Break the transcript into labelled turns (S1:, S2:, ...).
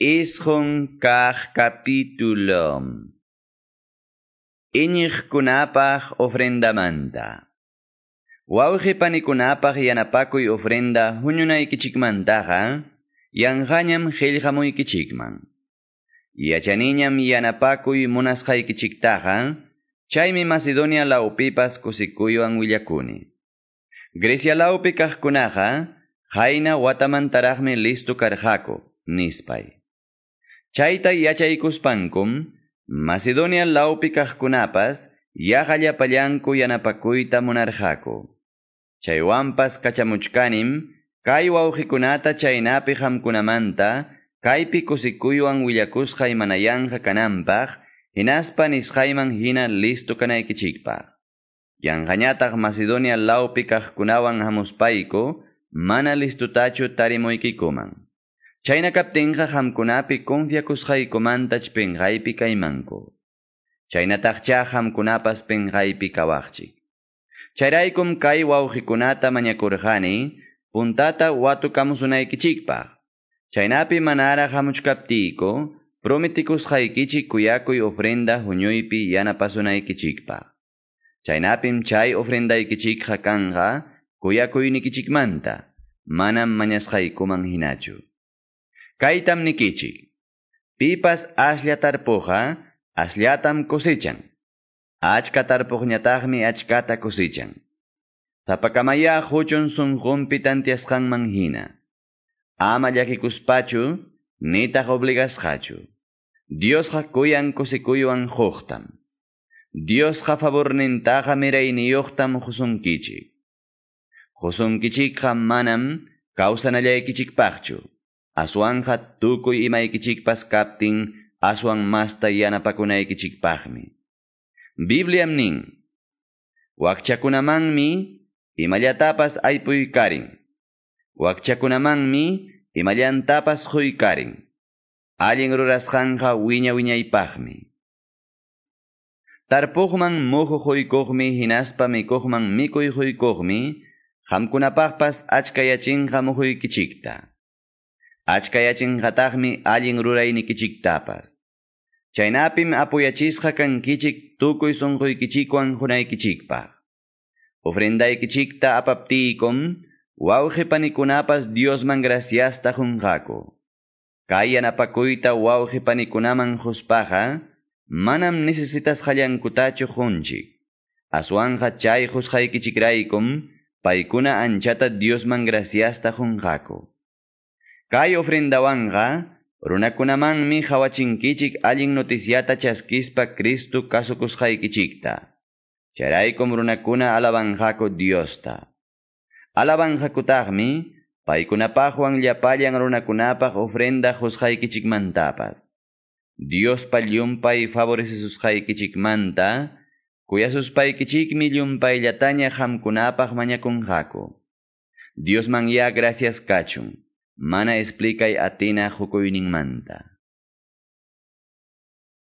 S1: 9 kaq capítulo. Iñiqkunapaq ofrendamanta. Wawqi panikunapaq yanapakuy ofrenda huñunaykichikmantaqa, yanqañam qillqamuykichikman. Yachaniñam yanapakuy munasqaykichiktaqa, chaymi Macedonia lawpipas kusikuywan willakuni. Grecia lawpi kaqkunaqa, qayna watamantaraqmi listo karqaku, nispay. Chayta yachaykuspankum, Macedonia lawpi kaqkunapas yaqa llapallanku yanapakuyta munarqaku. Chaywanpas kachamuchkanim, kay wawqikunata chaynapi qamkunamanta, kaypi kusikuywan willakusqay mana yanqa kananpaq, hinaspa nisqayman hina listo kanaykichikpaq. Yanqañataq Macedonia lawpi kaqkunawan hamuspayku, mana listotachu tarimuykikuman. Chayna kaptinqa qamkunapi confiakusqaykumantach pinqaypi kaymanku. Chaynataqcha qamkunapas pinqaypi kawaqchik. Chayraykum kay wawqikunata mañakurqani, puntata watukamusunaykichikpaq. Chaynapi manaraq hamuchkaptiyku, prometikusqaykichik kuyakuy ofrenda huñuypi yanapasunaykichikpaq. Chaynapim chay ofrendaykichikqa kanqa kuyakuynikichikmanta, manam mañasqaykuman hinachu. Kaytam nikichik. Pipas aslla tarpuqqa, asllatam cosechan. Achka tarpuqñataqmi achkata cosechan. Sapakamaya huchun sunqunpi tantiasqanman hina. Ama llakikuspachu, nitaq obligasqachu. Diosqa kuyan kusikuywan quqtam. Diosqa favornintaqa mirayniyuqtam qusunkichik. Qusunkichikqa manam kawsanallaykichikpaqchu. Aswanqa tukuy imaykichikpas kaptin aswan masta yanapakunaykichikpaqmi. Bibliam nin, wakchakunamanmi imallatapas aypuykarin. Wakchakunamanmi imallantapas quykarin. Allin rurasqanqa wiña wiñaypaqmi. Tarpuqman muhu quykuqmi hinaspa mikuqman mikuy quykuqmi, qamkunapaqpas achkayachinqa muhuykichikta. Achkayachinqataqmi allin ruraynikichiktapas. Chaynapim apuyachisqa kankichik tukuy sunquykichikwan hunaykichikpaq. Ofrendaykichikta apaptiykum, wawqi panikunapas Diosman graciasta qunqaku. Kay yanapakuyta wawqi panikunaman quspaqa, manam necesitasqallankutachu qunchik. Aswanqa chay qusqaykichikraykum, paykuna anchata Diosman graciasta qunqaku. Kay ofrendawanqa, runakunamanmi qawachinkichik allin noticiata chaskispa Cristo kasukusqaykichikta. Chayraykum runakuna alabanqaku Diosta. Alabanqakutaqmi, paykunapaqwan llapallan runakunapaq ofrenda qusqaykichikmantapas. Diospa llumpay favorecesusqaykichikmanta, kuyasuspaykichikmi llumpayllataña qamkunapaq mañakunqaku. Diosman ya gracias kachun, mana explicay atina qukuyninmanta.